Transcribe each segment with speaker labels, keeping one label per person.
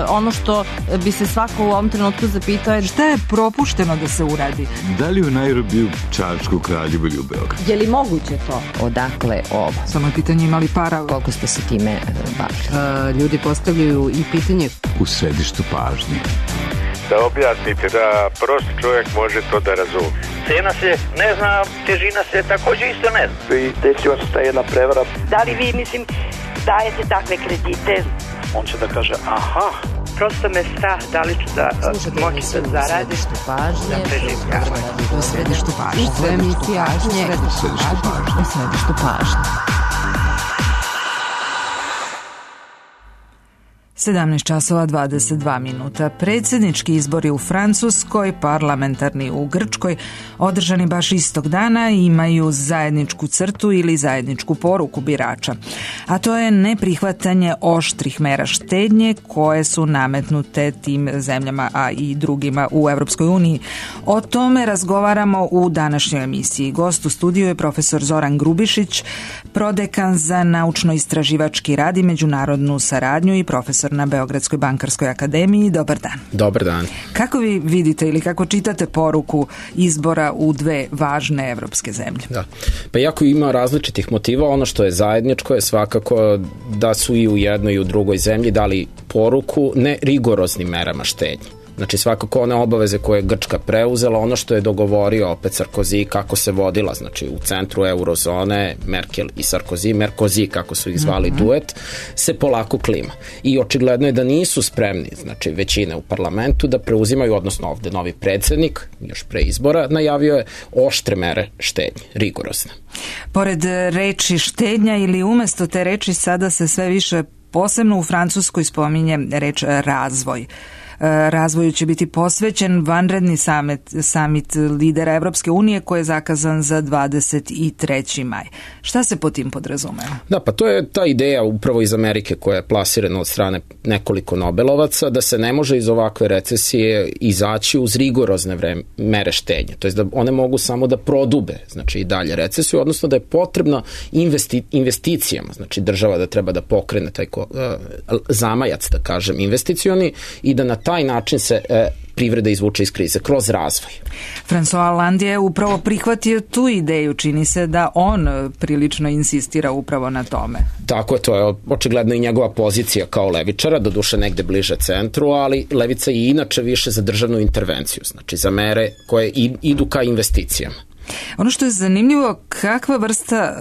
Speaker 1: ono što bi se svako u ovom trenutku zapitao je
Speaker 2: šta je propušteno da se uradi?
Speaker 3: Da li u Nairobiju, Čačku, Kraljevu ili u Beogradu?
Speaker 1: Je li moguće to?
Speaker 4: Odakle ovo?
Speaker 2: Samo je pitanje imali para.
Speaker 4: Koliko ste se time bavili?
Speaker 2: Ljudi postavljaju i pitanje
Speaker 3: U središtu pažnje.
Speaker 5: Da objasnite, da prosti čovjek može to da razumije.
Speaker 6: Cena se ne zna, težina se također isto ne zna.
Speaker 7: I desila se ta jedna prevara.
Speaker 8: Da li vi, dajete takve kredite?
Speaker 7: On će da kaže, aha.
Speaker 8: Prosto me strah, da li ću da moći da zaradim.
Speaker 2: U središtu pažnje.
Speaker 4: U središtu pažnje.
Speaker 2: 17 časova 22 minuta. Predsjednički izbori u Francuskoj, parlamentarni u Grčkoj, održani baš istog dana, imaju zajedničku crtu ili zajedničku poruku birača. A to je neprihvatanje oštrih mera štednje koje su nametnute tim zemljama, a i drugima u Europskoj uniji. O tome razgovaramo u današnjoj emisiji. Gost u studiju je profesor Zoran Grubišić, prodekan za naučno-istraživački rad i međunarodnu saradnju i profesor na Beogradskoj bankarskoj akademiji. Dobar dan.
Speaker 9: Dobar dan.
Speaker 2: Kako vi vidite ili kako čitate poruku izbora u dve važne evropske zemlje?
Speaker 9: Da. Pa jako ima različitih motiva. Ono što je zajedničko je svakako da su i u jednoj i u drugoj zemlji dali poruku ne rigoroznim merama štednje. Znači svakako one obaveze koje je Grčka preuzela, ono što je dogovorio opet Sarkozy kako se vodila, znači u centru eurozone Merkel i Sarkozy, Merkozy kako su ih zvali duet, se polako klima. I očigledno je da nisu spremni, znači većine u parlamentu da preuzimaju, odnosno ovde novi predsjednik, još pre izbora, najavio je oštre mere štednje, rigorozne.
Speaker 2: Pored reči štednja ili umesto te reči sada se sve više, posebno u Francuskoj, spominje reč razvoj. Razvoju će biti posvećen vanredni summit lidera Evropske unije koji je zakazan za 23. maj. Šta se po tim podrazumeva?
Speaker 9: Da, pa to je ta ideja upravo iz Amerike koja je plasirana od strane nekoliko Nobelovaca da se ne može iz ovakve recesije izaći uz rigorozne mere štednje. To je da one mogu samo da prodube, znači i dalje recesiju, odnosno da je potrebno investicijama, znači država da treba da pokrene taj zamajac, da kažem, investicioni i da na taj način se privreda izvuče iz krize, kroz razvoj.
Speaker 2: François Hollande je upravo prihvatio tu ideju, čini se da on prilično insistira upravo na tome.
Speaker 9: Tako je, to je očigledno i njegova pozicija kao levičara, doduše negde bliže centru, ali levica je inače više za državnu intervenciju, znači za mere koje idu ka investicijama.
Speaker 2: Ono što je zanimljivo, kakva vrsta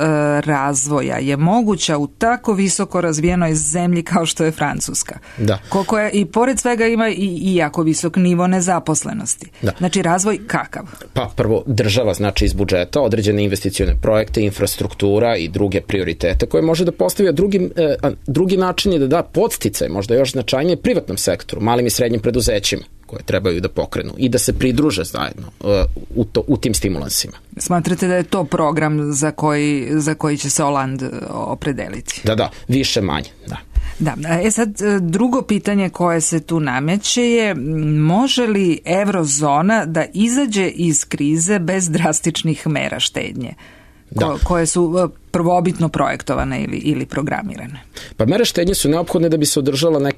Speaker 2: razvoja je moguća u tako visoko razvijenoj zemlji kao što je Francuska?
Speaker 9: Da.
Speaker 2: Koliko je, i pored svega ima i jako visok nivo nezaposlenosti. Da. Znači razvoj kakav?
Speaker 9: Pa prvo država znači iz budžeta određene investicione projekte, infrastruktura i druge prioritete koje može da postavi, a drugi način je da da podsticaj, možda još značajnije privatnom sektoru, malim i srednjim preduzećima koje trebaju da pokrenu i da se pridruže zajedno u tim stimulansima.
Speaker 2: Smatrate da je to program za koji će se Hollande opredeliti?
Speaker 9: Da, više manje, da.
Speaker 2: Da, sad drugo pitanje koje se tu nameće je može li eurozona da izađe iz krize bez drastičnih mera štednje? Koje su prvobitno projektovane ili programirane?
Speaker 9: Pa mere štednje su neophodne da bi se održala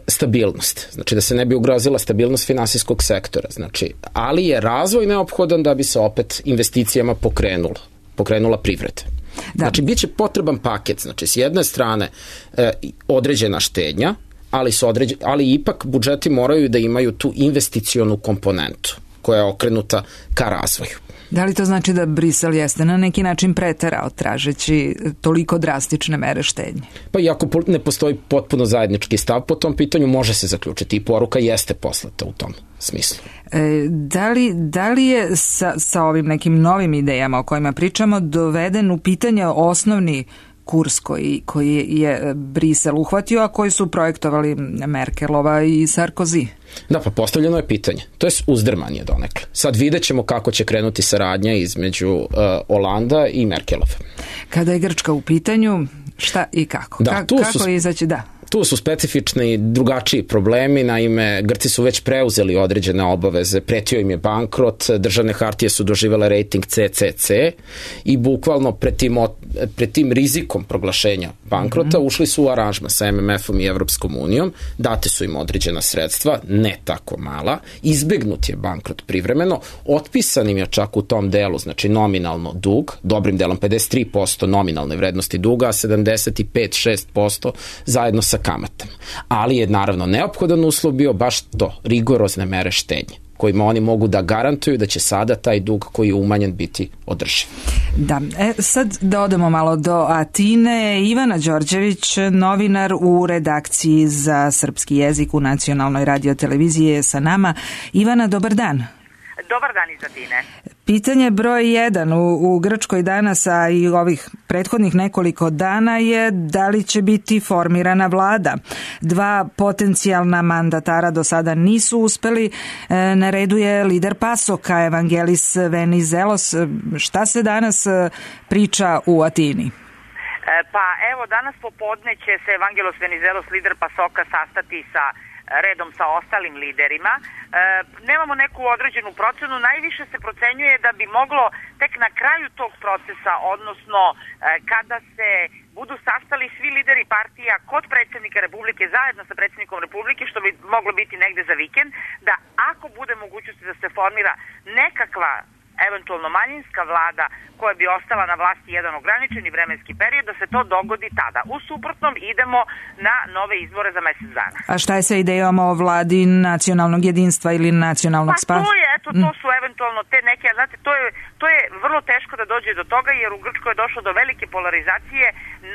Speaker 9: stabilnost, znači da se ne bi ugrozila stabilnost finansijskog sektora, znači, ali je razvoj neophodan da bi se opet investicijama pokrenula privreda. Da. Znači, bit će potreban paket, znači s jedne strane određena štednja, ali ipak budžeti moraju da imaju tu investicionu komponentu koja je okrenuta ka razvoju.
Speaker 2: Da li to znači da Brisel jeste na neki način preterao tražeći toliko drastične mere štednje? Pa
Speaker 9: iako ne postoji potpuno zajednički stav po tom pitanju, može se zaključiti i poruka jeste poslata u tom smislu.
Speaker 2: Da li je sa ovim nekim novim idejama o kojima pričamo doveden u pitanje osnovni kurs koji je Brisel uhvatio, a koji su projektovali Merkelova i Sarkozy?
Speaker 9: Da, pa postavljeno je pitanje. To je uzdrmanje donekle. Sad vidjet ćemo kako će krenuti saradnja između Hollanda i Merkelova.
Speaker 2: Kada je Grčka u pitanju, šta i kako?
Speaker 9: Da,
Speaker 2: kako izaći? Da.
Speaker 9: Tu su specifični drugačiji problemi, naime Grci su već preuzeli određene obaveze, pretio im je bankrot, državne hartije su doživele rating CCC i bukvalno pred tim rizikom proglašenja bankrota ušli su u aranžman sa MMF-om i Evropskom unijom, date su im određena sredstva, ne tako mala, izbegnut je bankrot privremeno, otpisan im je čak u tom delu, znači nominalno dug, dobrim delom 53% nominalne vrednosti duga, a 75-6% zajedno sa kamatama. Ali je naravno neophodan uslov bio baš to, rigorozne mere štednje, kojima oni mogu da garantuju da će sada taj dug koji je umanjen biti održiv.
Speaker 2: Da, sad da odemo malo do Atine. Ivana Đorđević, novinar u redakciji za srpski jezik u Nacionalnoj radioteleviziji je sa nama. Ivana, dobar dan.
Speaker 8: Dobar dan iz Atine.
Speaker 2: Pitanje broj 1 u Grčkoj danas, a i ovih prethodnih nekoliko dana je da li će biti formirana vlada. 2 potencijalna mandatara do sada nisu uspeli. Na redu je lider PASOK-a Evangelis Venizelos. Šta se danas priča u Atini?
Speaker 8: Pa evo, danas popodne će se Evangelos Venizelos, lider PASOK-a, sastati sa redom sa ostalim liderima. Nemamo neku određenu procenu, najviše se procenjuje da bi moglo tek na kraju tog procesa, odnosno kada se budu sastali svi lideri partija kod predsjednika Republike zajedno sa predsjednikom Republike, što bi moglo biti negde za vikend, da ako bude mogućnosti da se formira nekakva eventualno manjinska vlada koja bi ostala na vlasti jedan ograničeni vremenski period, da se to dogodi tada. U suprotnom idemo na nove izbore za mesec dana.
Speaker 2: A šta je sa idejom o vladi nacionalnog jedinstva ili nacionalnog spasa?
Speaker 8: Pa to je, to su eventualno te neke, znate, to je vrlo teško da dođe do toga, jer u Grčkoj je došlo do velike polarizacije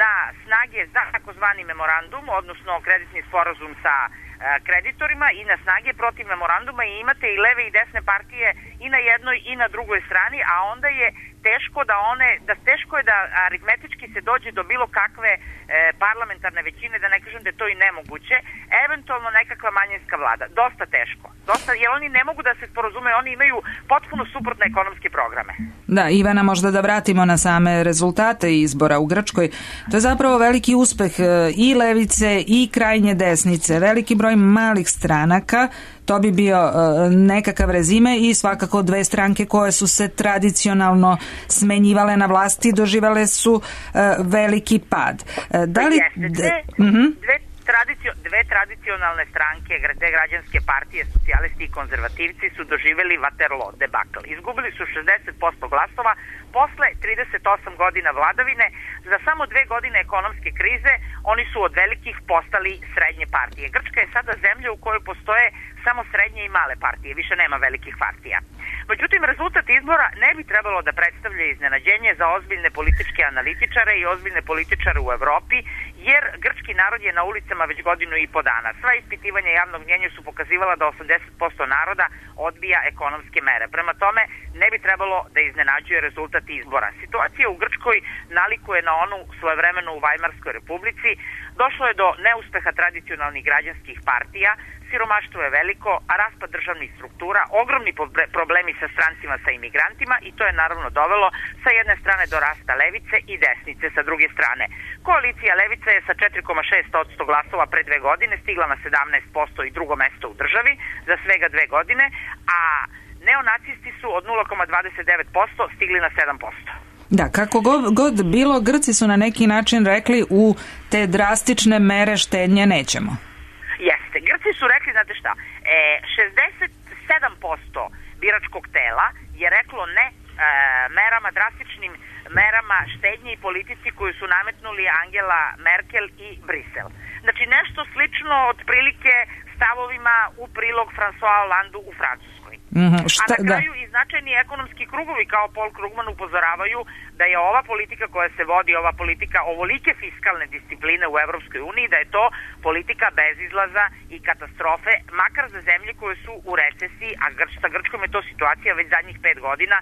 Speaker 8: na snage za takozvani memorandum, odnosno kreditni sporazum sa kreditorima i na snage protiv memoranduma, i imate i leve i desne partije i na jednoj i na drugoj strani, a onda je teško je da aritmetički se dođe do bilo kakve parlamentarne većine, da ne kažem da je to i nemoguće, eventualno nekakva manjinska vlada. Dosta teško. Jer oni ne mogu da se sporazumeju, oni imaju potpuno suprotne ekonomske programe.
Speaker 2: Da, Ivana, možda da vratimo na same rezultate izbora u Grčkoj. To je zapravo veliki uspeh i levice i krajnje desnice, veliki broj malih stranaka. To bi bio nekakav rezime i svakako 2 stranke koje su se tradicionalno smenjivale na vlasti doživale su veliki pad. Da li...
Speaker 8: Dve tradicionalne stranke, dve građanske partije, socijalisti i konzervativci, su doživjeli Waterloo debakl. Izgubili su 60% glasova posle 38 godina vladavine. Za samo 2 godine ekonomske krize oni su od velikih postali srednje partije. Grčka je sada zemlja u kojoj postoje samo srednje i male partije, više nema velikih partija. Međutim, rezultat izbora ne bi trebalo da predstavlja iznenađenje za ozbiljne političke analitičare i ozbiljne političare u Evropi, jer grčki narod je na ulicama već godinu i po dana. Sva ispitivanja javnog mnjenja su pokazivala da 80% naroda odbija ekonomske mere. Prema tome, ne bi trebalo da iznenađuje rezultat izbora. Situacija u Grčkoj nalikuje na onu svojevremeno u Vajmarskoj republici. Došlo je do neuspeha tradicionalnih građanskih partija, siromaštvo je veliko, a raspad državnih struktura, ogromni problemi sa strancima, sa imigrantima, i to je naravno dovelo sa jedne strane do rasta levice i desnice sa druge strane. Koalicija levice je sa 4,6% glasova pre 2 godine stigla na 17% i drugo mesto u državi za svega 2 godine, a neonacisti su od 0,29% stigli na 7%.
Speaker 2: Da, kako god bilo, Grci su na neki način rekli u te drastične mere štednje nećemo.
Speaker 8: Jeste, Grci su rekli, znate šta, 67% biračkog tela je reklo ne drastičnim merama štednje i politici koju su nametnuli Angela Merkel i Brisel. Znači nešto slično otprilike stavovima u prilog François Hollandu u Francuskoj. A na kraju i značajni ekonomski krugovi kao Paul Krugman upozoravaju da je ova politika koja se vodi, ova politika ovolike fiskalne discipline u Evropskoj uniji, da je to politika bez izlaza i katastrofe, makar za zemlje koje su u recesiji, a sa Grčkom je to situacija već zadnjih 5 godina.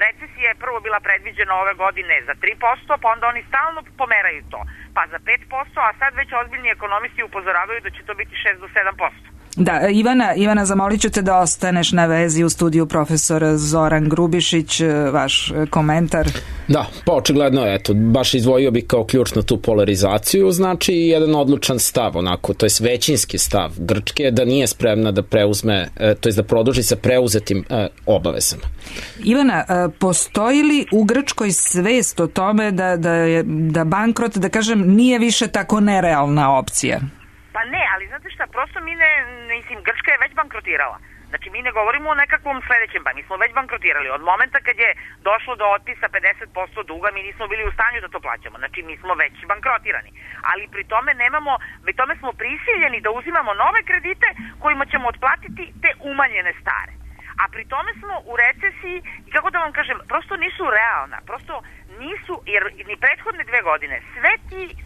Speaker 8: Recesija je prvo bila predviđena ove godine za 3%, pa onda oni stalno pomeraju to, pa za 5%, a sad već ozbiljni ekonomisti upozoravaju da će to biti 6 do 7%.
Speaker 2: Da, Ivana, zamolit ću te da ostaneš na vezi u studiju. Profesor Zoran Grubišić, vaš komentar.
Speaker 9: Da, pa očigledno, eto, baš izdvojio bi kao ključnu tu polarizaciju, znači jedan odlučan stav, onako, to je većinski stav Grčke, da nije spremna da preuzme, to je da produži sa preuzetim obavezama.
Speaker 2: Ivana, postoji li u Grčkoj svest o tome da bankrot, da kažem, nije više tako nerealna opcija?
Speaker 8: Pa ne, ali znate šta, prosto mi Grčka je već bankrotirala. Znači mi ne govorimo o nekakvom sledećem, pa mi smo već bankrotirali. Od momenta kad je došlo do otpisa 50% duga, mi nismo bili u stanju da to plaćamo. Znači mi smo već bankrotirani. Ali pri tome smo prisiljeni da uzimamo nove kredite kojima ćemo otplatiti te umanjene stare. A pri tome smo u recesiji i kako da vam kažem, prosto nisu realna, prosto nisu, jer ni prethodne 2 godine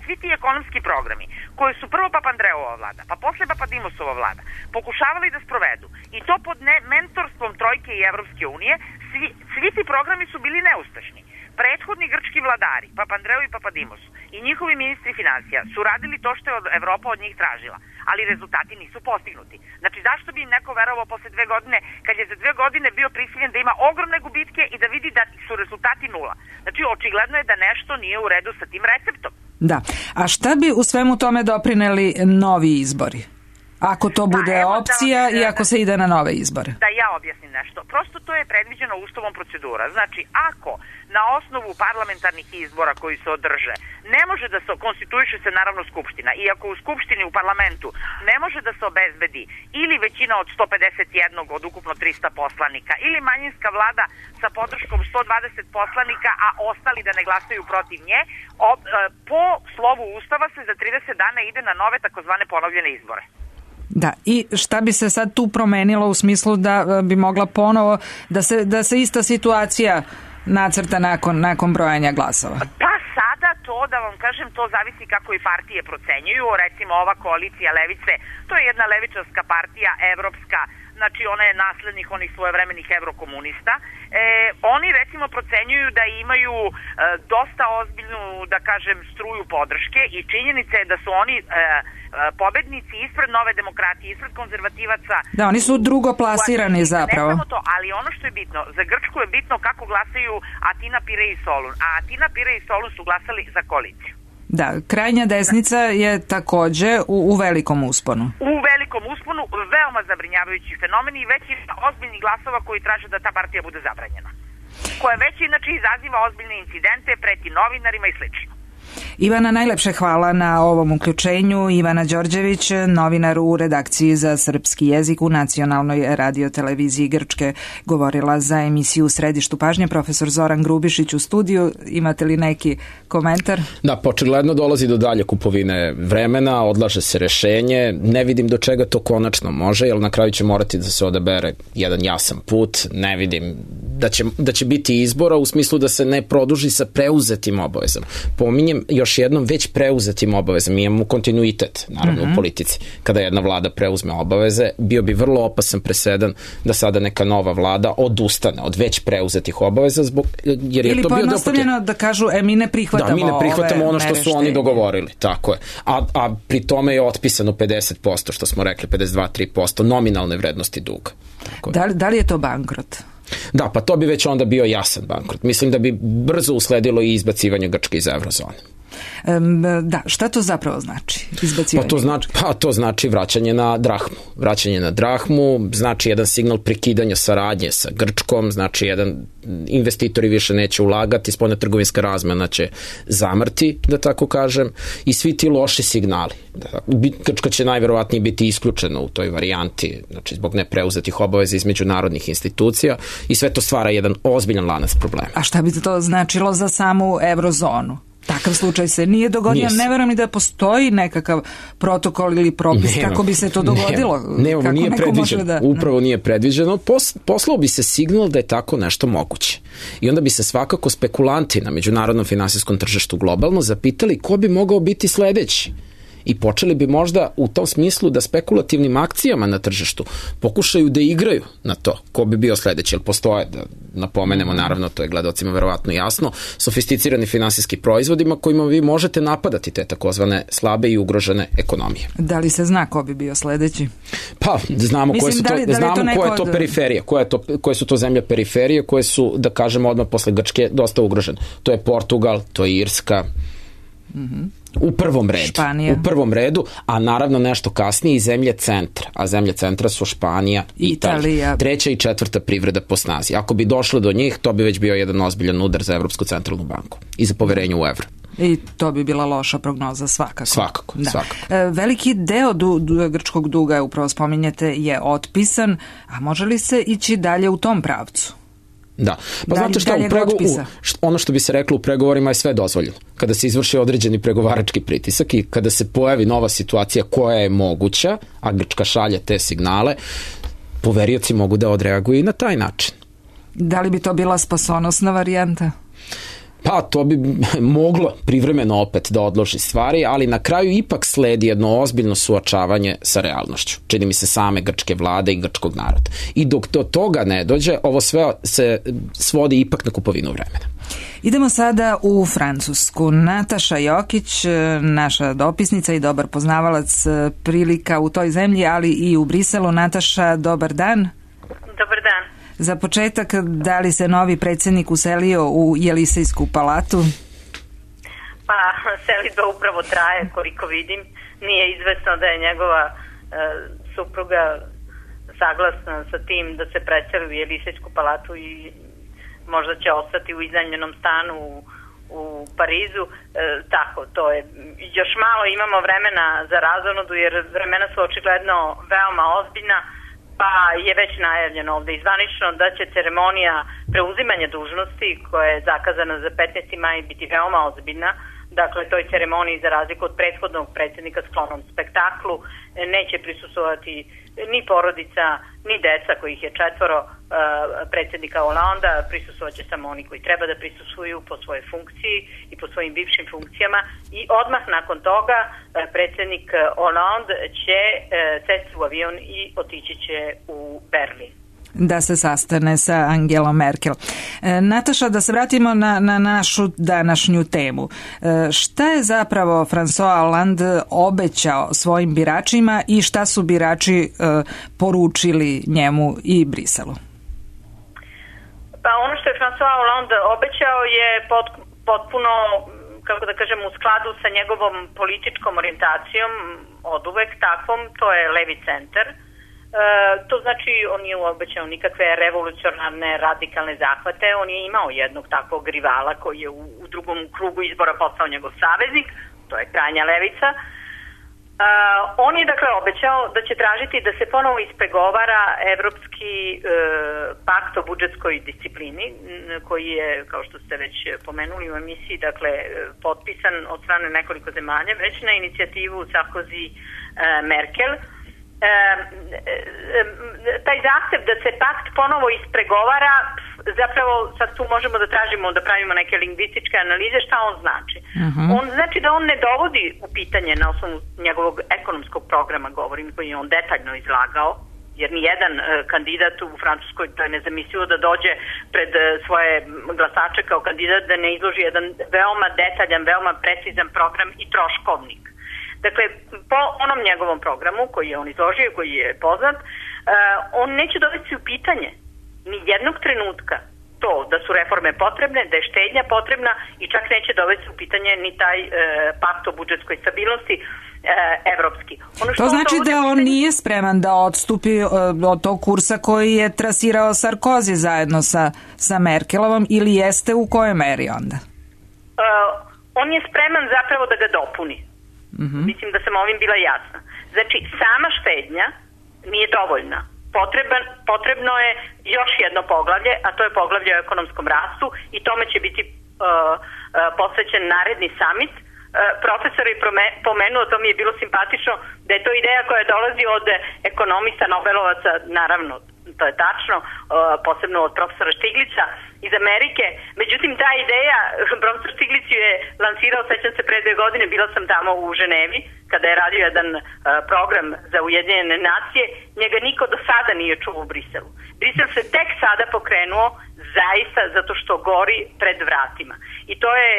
Speaker 8: svi ti ekonomski programi koji su prvo Papandreova vlada, pa posle Papadimosova vlada pokušavali da sprovedu i to pod mentorstvom Trojke i Evropske unije, svi ti programi su bili neuspešni. Prethodni grčki vladari, Papandreou i Papadimos i njihovi ministri financija su radili to što je Evropa od njih tražila, ali rezultati nisu postignuti. Znači zašto bi im neko verovao posle 2 godine kad je za 2 godine bio prisiljen da ima ogromne gubitke i da vidi da su rezultati nula. Znači očigledno je da nešto nije u redu sa tim receptom.
Speaker 2: Da, a šta bi u svemu tome doprineli novi izbori? Ako to bude opcija i ako se ide na nove izbore.
Speaker 8: Da ja objasnim nešto. Prosto to je predviđeno ustavom procedura. Znači, ako na osnovu parlamentarnih izbora koji se održe ne može da se konstituiše se naravno Skupština i ako u Skupštini u parlamentu ne može da se obezbedi ili većina od 151 od ukupno 300 poslanika ili manjinska vlada sa podrškom 120 poslanika, a ostali da ne glasaju protiv nje, po slovu ustava se za 30 dana ide na nove takozvane ponovljene izbore.
Speaker 2: Da, i šta bi se sad tu promenilo u smislu da bi mogla ponovo da se ista situacija nacrta nakon brojanja glasova?
Speaker 8: Pa sada to, da vam kažem, to zavisi kako i partije procenjuju. Recimo ova koalicija levice, to je jedna levičarska partija, evropska, znači ona je naslednik onih svojevremenih evrokomunista. Oni recimo procenjuju da imaju dosta ozbiljnu, da kažem, struju podrške i činjenica je da su oni pobednici ispred Nove demokratije, ispred konzervativaca.
Speaker 2: Da, oni su drugoplasirani zapravo.
Speaker 8: Ne samo to, ali ono što je bitno, za Grčku je bitno kako glasaju Atina, Pire i Solun. A Atina, Pire i Solun su glasali za koaliciju.
Speaker 2: Da, krajnja desnica je takođe u velikom usponu.
Speaker 8: U velikom usponu, veoma zabrinjavajući fenomen i već ima ozbiljnih glasova koji traže da ta partija bude zabranjena. Koja već inače izaziva ozbiljne incidente, preti novinarima i slično.
Speaker 2: Ivana, najlepše hvala na ovom uključenju. Ivana Đorđević, novinar u redakciji za srpski jezik u Nacionalnoj radioteleviziji Grčke, govorila za emisiju Središtu pažnje. Profesor Zoran Grubišić u studiju. Imate li neki komentar?
Speaker 9: Da, očigledno dolazi do dalje kupovine vremena, odlaže se rešenje. Ne vidim do čega to konačno može, jer na kraju će morati da se odabere jedan jasan put. Ne vidim da će biti izbora u smislu da se ne produži sa preuzetim obavezama. Pominjem još jednom već preuzetim obavezama. Mi imamo kontinuitet, naravno, u politici. Kada jedna vlada preuzme obaveze, bio bi vrlo opasan presedan da sada neka nova vlada odustane od već preuzetih obaveza jer je
Speaker 2: ili
Speaker 9: to bio
Speaker 2: pojednostavljeno da kažu mi ne prihvatamo
Speaker 9: mi ne prihvatamo ono što su oni dogovorili. Tako je. A pri tome je otpisano 50%, što smo rekli, 52-3% nominalne vrednosti duga.
Speaker 2: Da li je to bankrot?
Speaker 9: Da, pa to bi već onda bio jasan bankrot. Mislim da bi brzo usledilo i izbacivanje Grčke iz eurozone.
Speaker 2: Da, šta to zapravo znači? Izbacivanje?
Speaker 9: To znači vraćanje na drahmu. Vraćanje na drahmu znači jedan signal prekidanja saradnje sa Grčkom, znači investitori više neće ulagati, spoljna trgovinska razmena će zamrti, da tako kažem, i svi ti loši signali. Grčka će najverovatnije biti isključena u toj varijanti, znači zbog nepreuzetih obaveza iz međunarodnih institucija i sve to stvara jedan ozbiljan lanac problema.
Speaker 2: A šta bi to značilo za samu eurozonu? Takav slučaj se nije dogodio, ne verujem ni da postoji nekakav protokol ili propis kako bi se to dogodilo.
Speaker 9: Nema, nije predviđeno, upravo nije predviđeno. Poslao bi se signal da je tako nešto moguće. I onda bi se svakako spekulanti na međunarodnom finansijskom tržištu globalno zapitali ko bi mogao biti sledeći. i počeli bi možda u tom smislu da spekulativnim akcijama na tržištu pokušaju da igraju na to ko bi bio sledeći, jer postoje, da napomenemo, naravno, to je gledalcima verovatno jasno, sofisticirani finansijski proizvodima kojima vi možete napadati te takozvane slabe i ugrožene ekonomije.
Speaker 2: Da li se zna ko bi bio sledeći?
Speaker 9: Pa, znamo koje su to, koja je to periferija, koje su to zemlje periferije, koje su, da kažemo odmah posle Grčke, dosta ugrožene. To je Portugal, to je Irska, u prvom redu.
Speaker 2: Španija.
Speaker 9: U prvom redu, a naravno nešto kasnije i zemlje centra. A zemlje centra su Španija i Italija. Treća i četvrta privreda po snazi. Ako bi došlo do njih, to bi već bio jedan ozbiljan udar za Evropsku centralnu banku i za poverenje u evro.
Speaker 2: I to bi bila loša prognoza svakako.
Speaker 9: Svakako.
Speaker 2: Veliki deo grčkog duga, upravo spominjete, je otpisan, a može li se ići dalje u tom pravcu?
Speaker 9: Da, pa znate šta, ono što bi se reklo u pregovorima je sve dozvoljeno. Kada se izvrši određeni pregovarački pritisak i kada se pojavi nova situacija koja je moguća, a Grčka šalje te signale, poverioci mogu da odreaguju i na taj način.
Speaker 2: Da li bi to bila spasonosna varijanta?
Speaker 9: Pa to bi moglo privremeno opet da odloži stvari, ali na kraju ipak sledi jedno ozbiljno suočavanje sa realnošću. Čini mi se same grčke vlade i grčkog naroda. I dok do toga ne dođe, ovo sve se svodi ipak na kupovinu vremena.
Speaker 2: Idemo sada u Francusku. Nataša Jokić, naša dopisnica i dobar poznavalac prilika u toj zemlji, ali i u Briselu. Nataša, dobar dan.
Speaker 10: Dobar dan.
Speaker 2: Za početak, da li se novi predsjednik uselio u Jelisejsku palatu?
Speaker 10: Pa, selidba upravo traje, koliko vidim. Nije izvesno da je njegova supruga saglasna sa tim da se preseli u Jelisejsku palatu i možda će ostati u iznajmljenom stanu u Parizu. Tako, to je. Još malo imamo vremena za razonodu, jer vremena su očigledno veoma ozbiljna, pa je već najavljeno ovde izvanično da će ceremonija preuzimanja dužnosti, koja je zakazana za 15. maj, biti veoma ozbiljna. Dakle, toj ceremoniji, za razliku od prethodnog predsjednika sklonom spektaklu, neće prisustvovati ni porodica, ni deca, kojih je 4 predsjednika Holanda. Prisustvovat će samo oni koji treba da prisustvuju po svojoj funkciji i po svojim bivšim funkcijama. I odmah nakon toga predsjednik Hollande će sesti u avion i otići će u Berlin.
Speaker 2: Da se sastane sa Angelom Merkel. Nataša, da se vratimo na našu današnju temu. Šta je zapravo François Hollande obećao svojim biračima i šta su birači poručili njemu i Briselu?
Speaker 10: Pa ono što je François Hollande obećao je potpuno, kako da kažem, u skladu sa njegovom političkom orijentacijom, oduvek takvom, to je levi centar. To znači, on nije obećao nikakve revolucionarne, radikalne zahvate. On je imao jednog takvog rivala koji je u drugom krugu izbora postao njegov saveznik, to je krajnja levica. On je dakle obećao da će tražiti da se ponovo ispregovara Evropski pakt o budžetskoj disciplini, koji je, kao što ste već pomenuli u emisiji, dakle potpisan od strane nekoliko zemalja, već na inicijativu Sarkozy Merkel. Taj zahtev da se pakt ponovo ispregovara, zapravo sad tu možemo da tražimo, da pravimo neke lingvističke analize šta on znači. On znači da on ne dovodi u pitanje na osnovu njegovog ekonomskog programa, govorim, koji je on detaljno izlagao, jer nijedan kandidat u Francuskoj, to je nezamislivo da dođe pred svoje glasače kao kandidat da ne izloži jedan veoma detaljan, veoma precizan program i troškovnik. Dakle, po onom njegovom programu koji je on izložio, koji je poznat, on neće dovesti u pitanje ni jednog trenutka to da su reforme potrebne, da je štednja potrebna i čak neće dovesti u pitanje ni taj pakt o budžetskoj stabilnosti evropski.
Speaker 2: To znači da on nije spreman da odstupi od tog kursa koji je trasirao Sarkozy zajedno sa Merkelovom, ili jeste, u kojoj meri onda?
Speaker 10: On je spreman zapravo da ga dopuni. Mislim da sam ovim bila jasna. Znači, sama štednja nije dovoljna. Potrebno je još jedno poglavlje, a to je poglavlje o ekonomskom rastu i tome će biti posvećen naredni summit. Profesor je pomenuo, to mi je bilo simpatično, da je to ideja koja dolazi od ekonomista, Nobelovaca, naravno, to je tačno, posebno od profesora Štiglica, iz Amerike. Međutim, ta ideja, profesor Stiglić je lansirao, sećam se, pre 2 godine, bila sam tamo u Ženevi, kada je radio jedan program za Ujedinjene nacije, njega niko do sada nije čuo u Briselu. Brisel se tek sada pokrenuo zaista zato što gori pred vratima. I to je,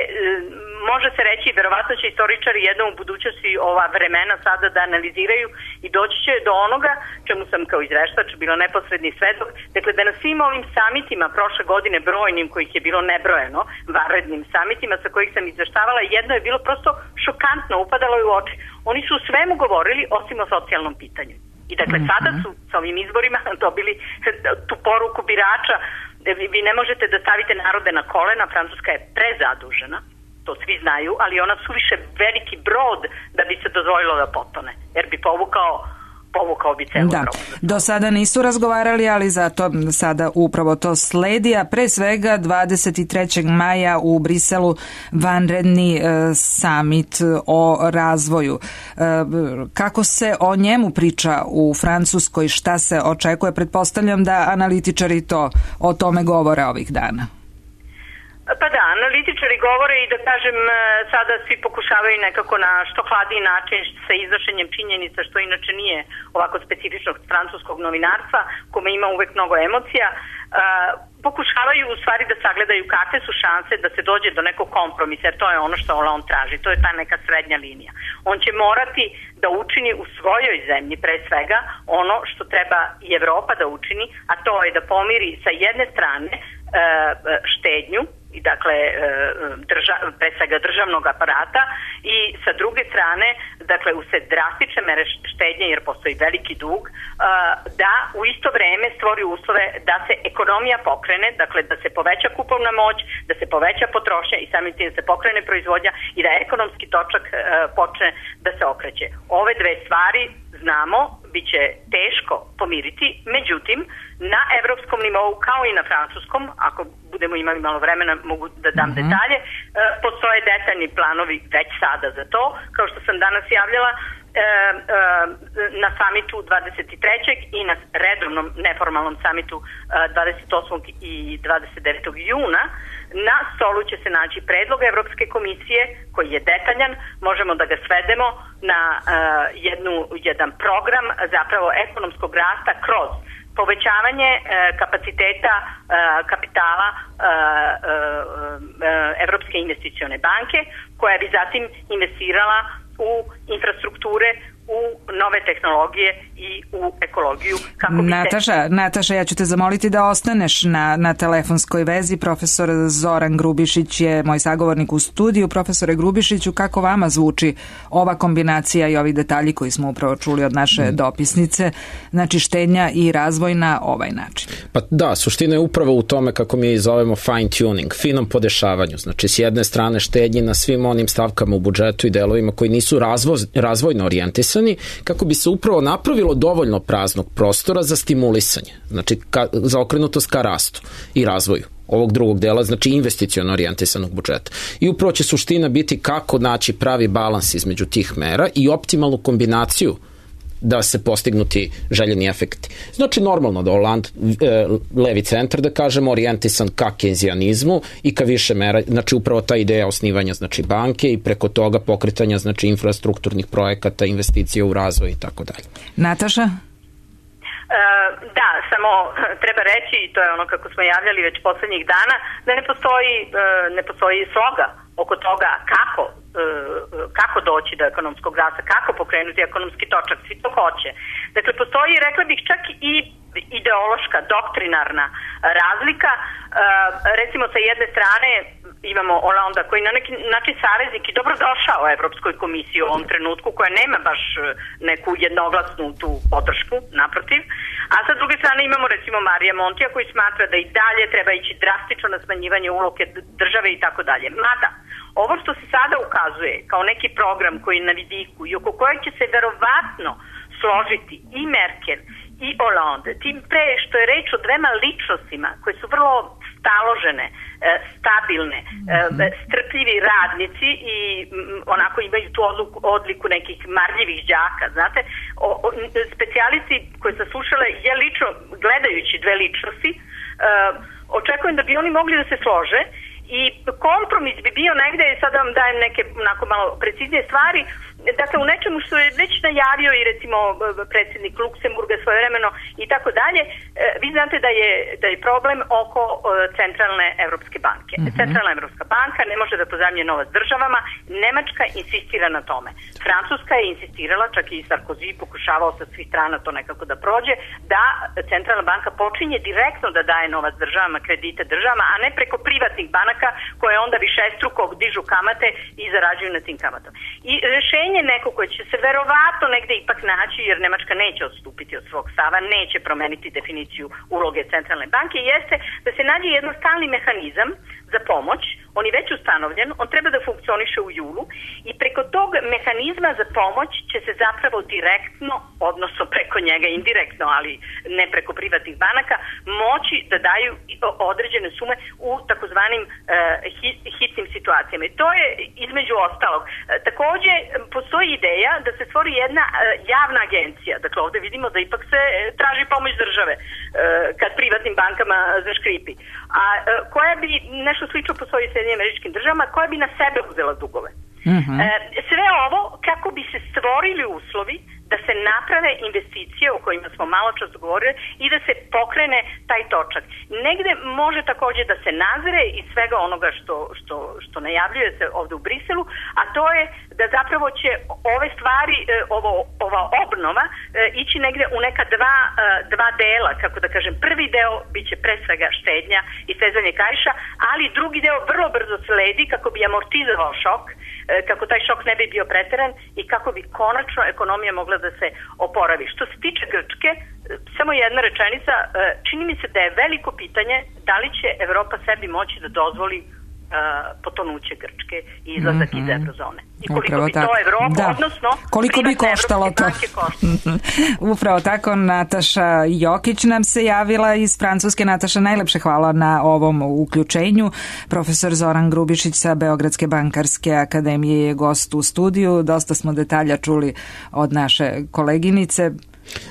Speaker 10: može se reći, verovatno će istoričari jednom u budućnosti ova vremena sada da analiziraju i doći će do onoga čemu sam kao izveštač bila neposredni svedok. Dakle, da na svim ovim samitima prošle godine, brojnim, kojih je bilo nebrojeno, vanrednim samitima sa kojih sam izveštavala, jedno je bilo prosto šokantno, upadalo je u oči. Oni su o svemu govorili osim o socijalnom pitanju. I dakle, sada su sa ovim izborima dobili tu poruku birača: vi ne možete da stavite narode na kolena, Francuska je prezadužena, to svi znaju, ali ona suviše veliki brod da bi se dozvolilo da potone, jer bi povukao bi celu Evropu.
Speaker 2: Do sada nisu razgovarali, ali zato sada upravo to sledi, a pre svega 23. maja u Briselu vanredni samit o razvoju. Kako se o njemu priča u Francuskoj, šta se očekuje? Pretpostavljam da analitičari o tome govore ovih dana.
Speaker 10: Pa da, analitičari govore i da kažem, sada svi pokušavaju nekako na što hladiji način sa iznošenjem činjenica, što inače nije ovako specifičnog francuskog novinarstva, kome ima uvek mnogo emocija, pokušavaju u stvari da sagledaju kakve su šanse da se dođe do nekog kompromisa, jer to je ono što on traži, to je ta neka srednja linija. On će morati da učini u svojoj zemlji pre svega ono što treba i Evropa da učini, a to je da pomiri sa jedne strane štednju, i dakle pre svega državnog aparata, i sa druge strane, dakle, usled drastične mere štednje, jer postoji veliki dug, da u isto vreme stvori uslove da se ekonomija pokrene, dakle da se poveća kupovna moć, da se poveća potrošnja i samim tim da se pokrene proizvodnja i da ekonomski točak počne da se okreće. Ove dve stvari, znamo, bit će teško pomiriti, međutim, na evropskom nivou kao i na francuskom, ako budemo imali malo vremena mogu da dam detalje, postoje detaljni planovi već sada za to, kao što sam danas javljala, na samitu 23. i na redovnom neformalnom samitu 28. i 29. juna na stolu će se naći predlog Evropske komisije koji je detaljan, možemo da ga svedemo na jedan program zapravo ekonomskog rasta kroz povećavanje kapaciteta kapitala Evropske investicione banke, koja bi zatim investirala u infrastrukture, u nove tehnologije i u ekologiju.
Speaker 2: Nataša, ja ću te zamoliti da ostaneš na telefonskoj vezi. Profesor Zoran Grubišić je moj sagovornik u studiju. Profesore Grubišiću, kako vama zvuči ova kombinacija i ovi detalji koji smo upravo čuli od naše dopisnice, znači štednja i razvoj na ovaj način?
Speaker 9: Pa da, suština je upravo u tome, kako mi je zovemo fine tuning, finom podešavanju. Znači, s jedne strane štednji na svim onim stavkama u budžetu i delovima koji nisu razvojno orijentisani, kako bi se upravo napravilo dovoljno praznog prostora za stimulisanje, znači za okrenutost ka rastu i razvoju ovog drugog dela, znači investiciono orijentisanog budžeta. I upravo će suština biti kako naći pravi balans između tih mera i optimalnu kombinaciju da se postignuti željeni efekti. Znači, normalno da Hollande, levi centar, da kažemo, orijentisan ka kenzijanizmu i ka više mera, znači upravo ta ideja osnivanja, znači, banke i preko toga pokretanja, znači, infrastrukturnih projekata, investicija u razvoj i tako dalje.
Speaker 2: Nataša?
Speaker 10: Da, samo treba reći, i to je ono kako smo javljali već poslednjih dana, da ne postoji sloga oko toga kako doći do ekonomskog rasta, kako pokrenuti ekonomski točak, svi to hoće. Dakle, postoji, rekla bih, čak i ideološka, doktrinarna razlika. Recimo, sa jedne strane imamo Hollanda koji na neki način saveznik i dobrodošao Evropskoj komisiji u ovom trenutku, koja nema baš neku jednoglasnu tu podršku, naprotiv. A sa druge strane imamo recimo Marija Montija koji smatra da i dalje treba ići drastično na smanjivanje uloge države i tako dalje. Mada, ovo što se sada ukazuje kao neki program koji je na vidiku i oko kojeg će se verovatno složiti i Merkel i Hollande, tim pre što je reč o dvema ličnostima koje su vrlo staložene, stabilne, strpljivi radnici i onako imaju tu odliku nekih marljivih đaka, znate. Specijalisti koji sam slušala, je lično, gledajući dve ličnosti, očekujem da bi oni mogli da se slože i kompromis bi bio negde, sada vam dajem neke onako malo preciznije stvari, dakle u nečemu što je već najavio i recimo predsjednik Luksemburga svojevremeno i tako dalje. Vi znate da je problem oko Centralne Evropske banke. Centralna Evropska banka ne može da pozajmljuje novac državama, Nemačka insistira na tome. Francuska je insistirala, čak i Sarkozy pokušavao sa svih strana to nekako da prođe, da Centralna banka počinje direktno da daje novac državama, kredite državama, a ne preko privatnih banaka koje onda višestruko dižu kamate i zarađuju na tim kamatama. I rešenje neko koje će se verovatno negde ipak naći, jer Nemačka neće odstupiti od svog stava, neće promeniti definiciju uloge Centralne banke, jeste da se nađe jedan stalni mehanizam za pomoć, on je već ustanovljen, on treba da funkcioniše u julu i preko tog mehanizma za pomoć će se zapravo direktno, odnosno preko njega indirektno, ali ne preko privatnih banaka, moći da daju određene sume u takozvanim hitnim situacijama. I to je između ostalog. Takođe, postoji ideja da se stvori jedna javna agencija. Dakle, ovde vidimo da ipak se traži pomoć države kad privatnim bankama zaškripi. A koja bi, nešto slično postoji u Sjedinjenim Američkim Državama, koja bi na sebe uzela dugove. Sve ovo kako bi se stvorili uslovi da se naprave investicije o kojima smo malo čas govorili i da se pokrene taj točak. Negde može takođe da se nazire iz svega onoga što najavljuje se ovde u Briselu, a to je da zapravo će ove stvari, ova obnova ići negde u neka dva dela, kako da kažem. Prvi deo biće pre svega štednja i stezanje kaiša, ali drugi deo vrlo brzo sledi kako bi amortizovao šok, kako taj šok ne bi bio preteran i kako bi konačno ekonomija mogla da se oporavi. Što se tiče Grčke, samo jedna rečenica, čini mi se da je veliko pitanje da li će Evropa sebi moći da dozvoli potonuće Grčke i izlazak iz eurozone. I koliko bi to Evropa, odnosno
Speaker 2: koliko bi koštalo to? Upravo tako, Nataša Jokić nam se javila iz Francuske. Nataša, najlepše hvala na ovom uključenju. Profesor Zoran Grubišić sa Beogradske bankarske akademije je gost u studiju. Dosta smo detalja čuli od naše koleginice.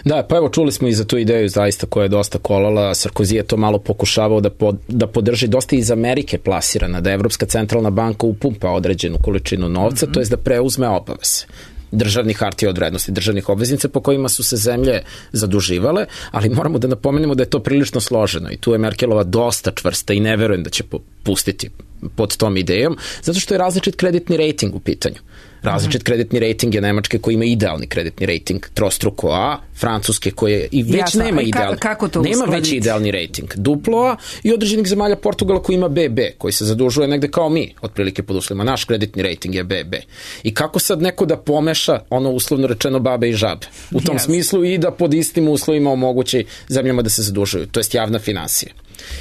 Speaker 9: Da, pa evo čuli smo i za tu ideju zaista koja je dosta kolala. Sarkozy je to malo pokušavao da podrži, dosta iz Amerike plasirana, da Evropska centralna banka upumpa određenu količinu novca, to je da preuzme obaveze državnih hartija od vrednosti, državnih obveznica po kojima su se zemlje zaduživale, ali moramo da napomenemo da je to prilično složeno i tu je Merkelova dosta čvrsta i ne verujem da će pustiti pod tom idejom, zato što je različit kreditni rejting u pitanju. Različit kreditni rejting je Nemačke koji ima idealni kreditni rejting trostruko A, Francuske koje i već nema idealni. Nema već idealni rejting. Duplo A i određenih zemalja Portugala koji ima BB, koji se zadužuje negde kao mi, otprilike pod uslovima. Naš kreditni rejting je BB. I kako sad neko da pomeša ono uslovno rečeno babe i žabe? U tom smislu i da pod istim uslovima omogući zemljama da se zadužuju, to jest javna finansija.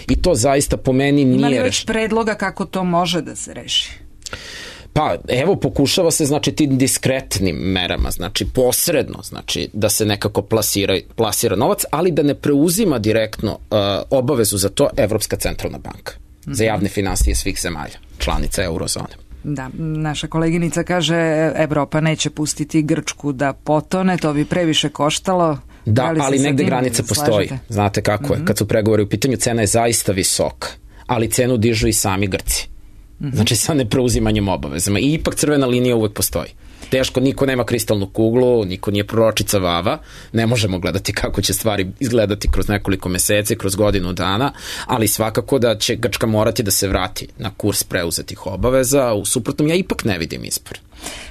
Speaker 9: I to zaista po meni nije...
Speaker 2: Ima li već predloga kako to može da se reši?
Speaker 9: Pa evo pokušava se znači tim diskretnim merama, znači posredno, znači da se nekako plasira novac, ali da ne preuzima direktno obavezu za to Evropska centralna banka za javne finansije svih zemalja, članica eurozone.
Speaker 2: Da, naša koleginica kaže Evropa neće pustiti Grčku da potone, to bi previše koštalo.
Speaker 9: Da, ali negde granica postoji. Znate kako je, kad su pregovori u pitanju, cena je zaista visoka, ali cenu dižu i sami Grci. Znači sa nepreuzimanjem obavezama. I ipak crvena linija uvek postoji. Teško, niko nema kristalnu kuglu, niko nije proročica Vava, ne možemo gledati kako će stvari izgledati kroz nekoliko meseci, kroz godinu dana, ali svakako da će Grčka morati da se vrati na kurs preuzetih obaveza, u suprotnom ja ipak ne vidim izbor.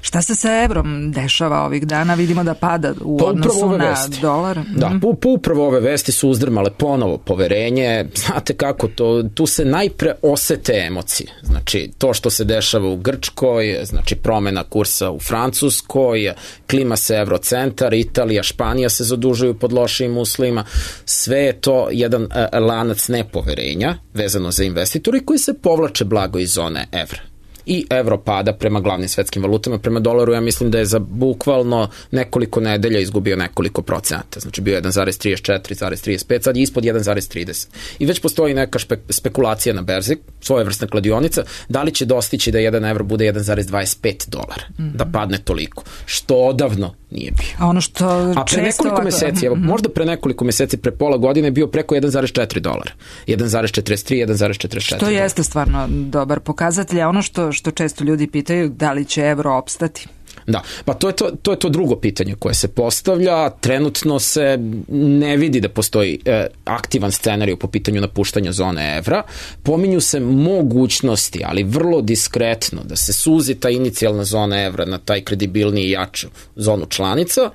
Speaker 2: Šta se sa evrom dešava ovih dana? Vidimo da pada u odnosu na dolar.
Speaker 9: Da, upravo ove vesti su uzdrmale ponovo poverenje. Znate kako, tu se najpre osete emocije. Znači, to što se dešava u Grčkoj, znači promena kursa u Francuskoj, klima se Eurocentar, Italija, Španija se zadužuju pod lošim uslovima. Sve je to jedan lanac nepoverenja vezano za investitore koji se povlače blago iz zone evra. i evro pada prema glavnim svetskim valutama. Prema dolaru ja mislim da je za bukvalno nekoliko nedelja izgubio nekoliko procenata. Znači bio 1,34, 1,35, sad je ispod 1,30. I već postoji neka spekulacija na berzi, svojevrsna kladionica, da li će dostići da 1 evro bude 1,25 dolara, da padne toliko, što odavno nije bio.
Speaker 2: A ono što
Speaker 9: a pre nekoliko meseci, evo, možda pre nekoliko meseci, pre pola godine je bio preko 1,4 dolara. 1,43, 1,44.
Speaker 2: Što jeste stvarno dobar pokazatelj, a ono što često ljudi pitaju, da li će evro opstati?
Speaker 9: Da, pa to je to drugo pitanje koje se postavlja. Trenutno se ne vidi da postoji aktivan scenarij po pitanju napuštanja zone evra. Pominju se mogućnosti, ali vrlo diskretno, da se suzi ta inicijalna zona evra na taj kredibilniji i jaču zonu članica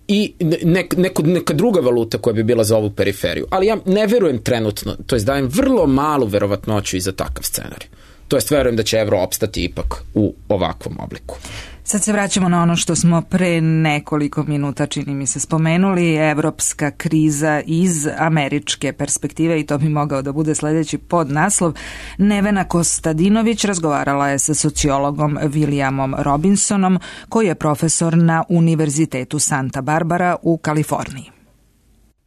Speaker 9: i neka druga valuta koja bi bila za ovu periferiju. Ali ja ne verujem trenutno, to jest dajem vrlo malu verovatnoću i za takav scenarij. To jest verujem da će evro opstati ipak u ovakvom obliku.
Speaker 2: Sad se vraćamo na ono što smo pre nekoliko minuta, čini mi se, spomenuli, evropska kriza iz američke perspektive, i to bi mogao da bude sledeći podnaslov. Nevena Kostadinović razgovarala je sa sociologom Williamom Robinsonom, koji je profesor na Univerzitetu Santa Barbara u Kaliforniji.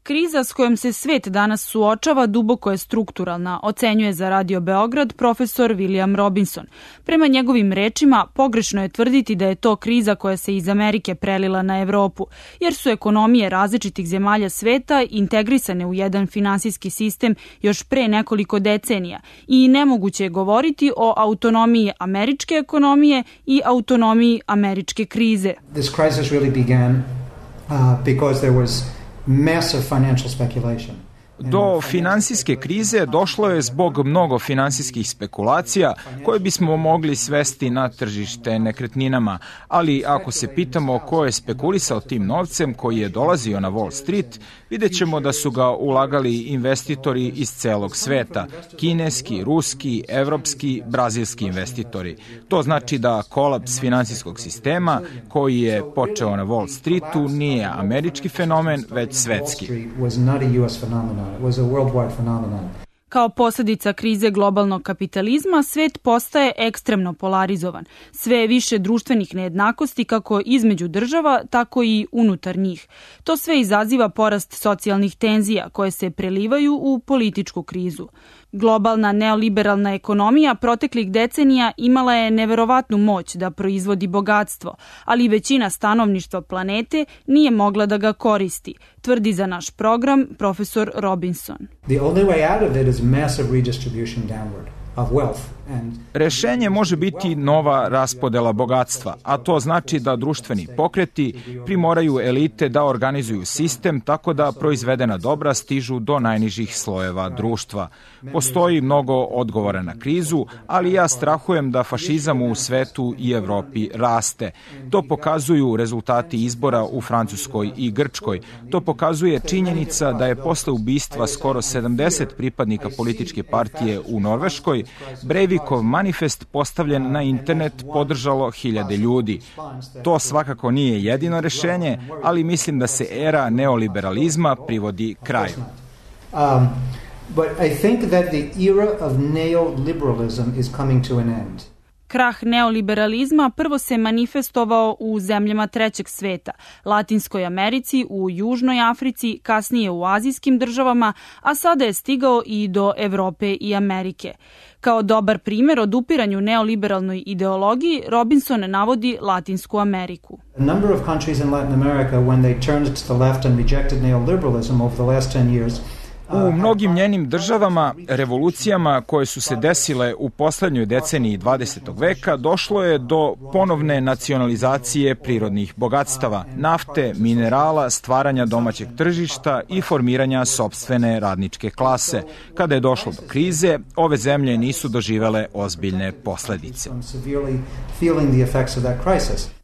Speaker 11: Kriza s kojom se svet danas suočava duboko je strukturalna, ocenjuje za Radio Beograd profesor William Robinson. Prema njegovim rečima, pogrešno je tvrditi da je to kriza koja se iz Amerike prelila na Evropu, jer su ekonomije različitih zemalja sveta integrisane u jedan finansijski sistem još pre nekoliko decenija i nemoguće je govoriti o autonomiji američke ekonomije i autonomiji američke krize.
Speaker 12: This crisis really began because there was massive financial speculation.
Speaker 13: Do finansijske krize došlo je zbog mnogo finansijskih spekulacija koje bismo mogli svesti na tržište nekretninama, ali ako se pitamo ko je spekulisao tim novcem koji je dolazio na Wall Street, vidjet ćemo da su ga ulagali investitori iz celog sveta, kineski, ruski, evropski, brazilski investitori. To znači da kolaps finansijskog sistema koji je počeo na Wall Streetu nije američki fenomen, već svetski.
Speaker 11: Kao posljedica krize globalnog kapitalizma, svet postaje ekstremno polarizovan. Sve je više društvenih nejednakosti kako između država, tako i unutar njih. To sve izaziva porast socijalnih tenzija koje se prelivaju u političku krizu. Globalna neoliberalna ekonomija proteklih decenija imala je neverovatnu moć da proizvodi bogatstvo, ali većina stanovništva planete nije mogla da ga koristi, tvrdi za naš program profesor Robinson.
Speaker 12: The only way out of it is massive redistribution downward of wealth.
Speaker 13: Rešenje može biti nova raspodela bogatstva, a to znači da društveni pokreti primoraju elite da organizuju sistem tako da proizvedena dobra stižu do najnižih slojeva društva. Postoji mnogo odgovora na krizu, ali ja strahujem da fašizam u svetu i Evropi raste. To pokazuju rezultati izbora u Francuskoj i Grčkoj. To pokazuje činjenica da je posle ubistva skoro 70 pripadnika političke partije u Norveškoj, Breivikov manifest postavljen na internet podržalo hiljade ljudi. To svakako nije jedino rešenje, ali mislim da se era neoliberalizma privodi kraju.
Speaker 12: But I think that the era of neoliberalism is coming to an end.
Speaker 11: Krah neoliberalizma prvo se manifestovao u zemljama trećeg sveta, Latinskoj Americi, u Južnoj Africi, kasnije u azijskim državama, a sada je stigao i do Evrope i Amerike. Kao dobar primer odupiranju neoliberalnoj ideologiji, Robinson navodi Latinsku Ameriku.
Speaker 12: A number of countries in Latin America, when they turned to the left and rejected neoliberalism over the last 10 years,
Speaker 13: U mnogim njenim državama, revolucijama koje su se desile u poslednjoj deceniji 20. veka, došlo je do ponovne nacionalizacije prirodnih bogatstava, nafte, minerala, stvaranja domaćeg tržišta i formiranja sopstvene radničke klase. Kada je došlo do krize, ove zemlje nisu doživele ozbiljne posledice.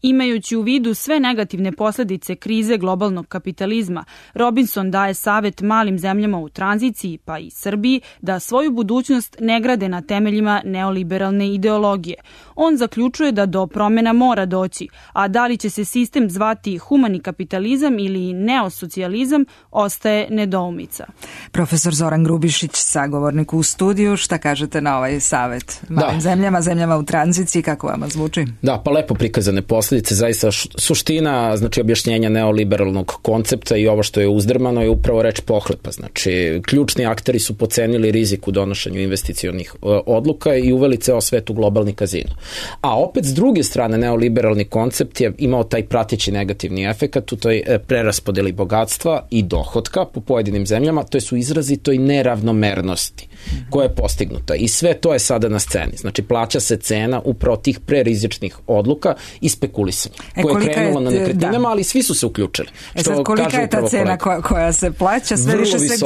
Speaker 11: Imajući u vidu sve negativne posledice krize globalnog kapitalizma, Robinson daje savet malim zemljama u tranziciji, pa i Srbiji, da svoju budućnost ne grade na temeljima neoliberalne ideologije. On zaključuje da do promjena mora doći, a da li će se sistem zvati humani kapitalizam ili neosocijalizam ostaje nedoumica.
Speaker 2: Profesor Zoran Grubišić, sagovornik u studiju, šta kažete na ovaj savet malim zemljama u tranziciji, kako vama zvuči?
Speaker 9: Da, pa lepo prikazane posljedice, zaista suština, znači objašnjenja neoliberalnog koncepta i ovo što je uzdrmano je upravo reč pohlepa. Znači, ključni akteri su pocenili rizik u donošenju investicionih odluka i uveli ceo svet u globalni kazino. A opet s druge strane neoliberalni koncept je imao taj prateći negativni efekat u toj preraspodeli bogatstva i dohotka po pojedinim zemljama, to su izrazito i neravnomernosti koja je postignuta i sve to je sada na sceni. Znači, plaća se cena upravo tih prerizičnih odluka i spekulisanja koje je krenulo na nekretninama, ali svi su se uključili.
Speaker 2: Sad, kolika je ta cena koja se plaća? Sve više se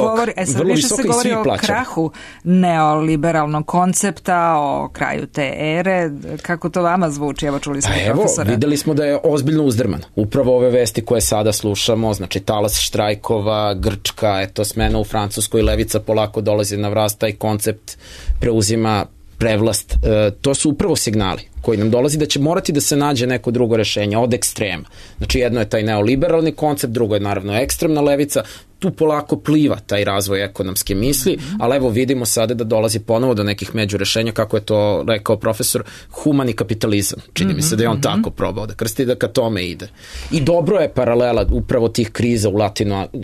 Speaker 2: govori o krahu neoliberalnog koncepta, o kraju te ere. Kako to vama zvuči? Evo, čuli smo profesora.
Speaker 9: Evo, videli smo da je ozbiljno uzdrman. Upravo ove vesti koje sada slušamo, znači talas štrajkova, Grčka, smena u Francuskoj, levica polako dolazi na vlast, taj koncept preuzima prevlast. To su upravo signali koji nam dolazi da će morati da se nađe neko drugo rešenje od ekstrema. Znači, jedno je taj neoliberalni koncept, drugo je naravno ekstremna levica, tu polako pliva taj razvoj ekonomske misli, ali evo vidimo sada da dolazi ponovo do nekih međurešenja, kako je to rekao profesor, humani kapitalizam. Čini mi se da je on tako probao da krsti, da ka tome ide. I dobro je paralela upravo tih kriza u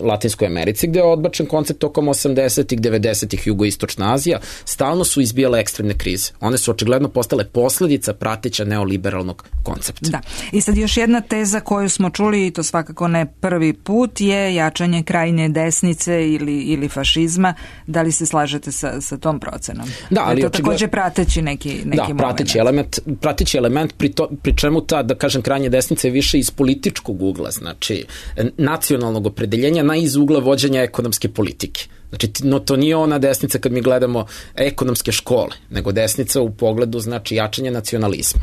Speaker 9: Latinskoj Americi, gde je odbačen koncept tokom 80-ih, 90-ih, jugoistočna Azija, stalno su izbijale ekstremne krize. One su očigledno postale posledica prateća neoliberalnog koncepta.
Speaker 2: Da. I sad još jedna teza koju smo čuli, i to svakako ne prvi put, je jačanje krajnje desnice ili fašizma. Da li se slažete sa tom procenom?
Speaker 9: Da, ali
Speaker 2: to takođe prateći neki moment.
Speaker 9: Prateći element pri čemu ta, da kažem, krajnje desnica je više iz političkog ugla, znači nacionalnog opredeljenja na iz ugla vođenja ekonomske politike. Znači, to nije ona desnica kad mi gledamo ekonomske škole, nego desnica u pogledu, znači, jačanja nacionalizma.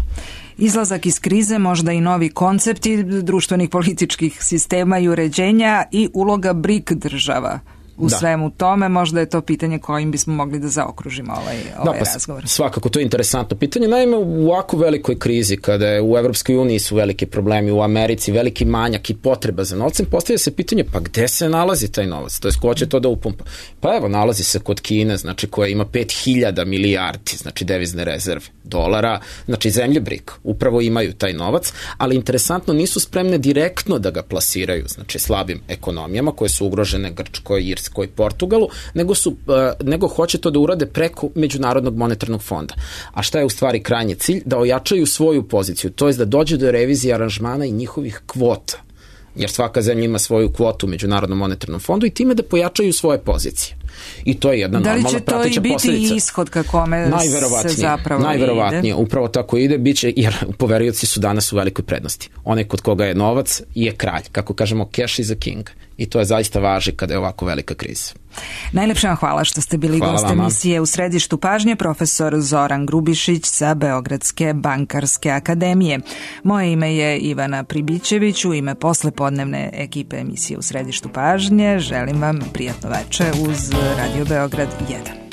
Speaker 2: Izlazak iz krize, možda i novi koncepti društvenih političkih sistema i uređenja i uloga BRIC država u svemu tome, možda je to pitanje kojim bismo mogli da zaokružimo ovaj razgovor.
Speaker 9: Svakako, to je interesantno pitanje. Naime, u ovako velikoj krizi, kada je u Evropskoj uniji su veliki problemi, u Americi veliki manjak i potreba za novcem, postavlja se pitanje, pa gde se nalazi taj novac? To je ko će to da upumpa? Pa evo, nalazi se kod Kine, znači koja ima 5000 milijardi, znači devizne rezerve dolara, znači zemlje BRIC upravo imaju taj novac, ali interesantno nisu spremne direktno da ga plasiraju, znači slabim ekonomijama koje su ugrožene Grčkoj, Irskoj, Portugalu, nego hoće to da urade preko Međunarodnog monetarnog fonda. A šta je u stvari krajnji cilj? Da ojačaju svoju poziciju, to je da dođe do revizije aranžmana i njihovih kvota. Jer svaka zemlja ima svoju kvotu u Međunarodnom monetarnom fondu i time da pojačaju svoje pozicije. I to je jedna normalna prateća posljedica. Da li će to i biti
Speaker 2: ishod ka kome se zapravo
Speaker 9: najverovatnije, upravo tako ide, biće, jer poverioci su danas u velikoj prednosti. Onaj kod koga je novac je kralj. Kako kažemo, cash is a king. I to je zaista važi kada je ovako velika kriza.
Speaker 2: Najlepše vam hvala što ste bili gost emisije U središtu pažnje, profesor Zoran Grubišić sa Beogradske bankarske akademije. Moje ime je Ivana Pribićević, u ime poslepodnevne ekipe emisije U središtu pažnje želim vam prijatno veče uz Radio Beograd 1.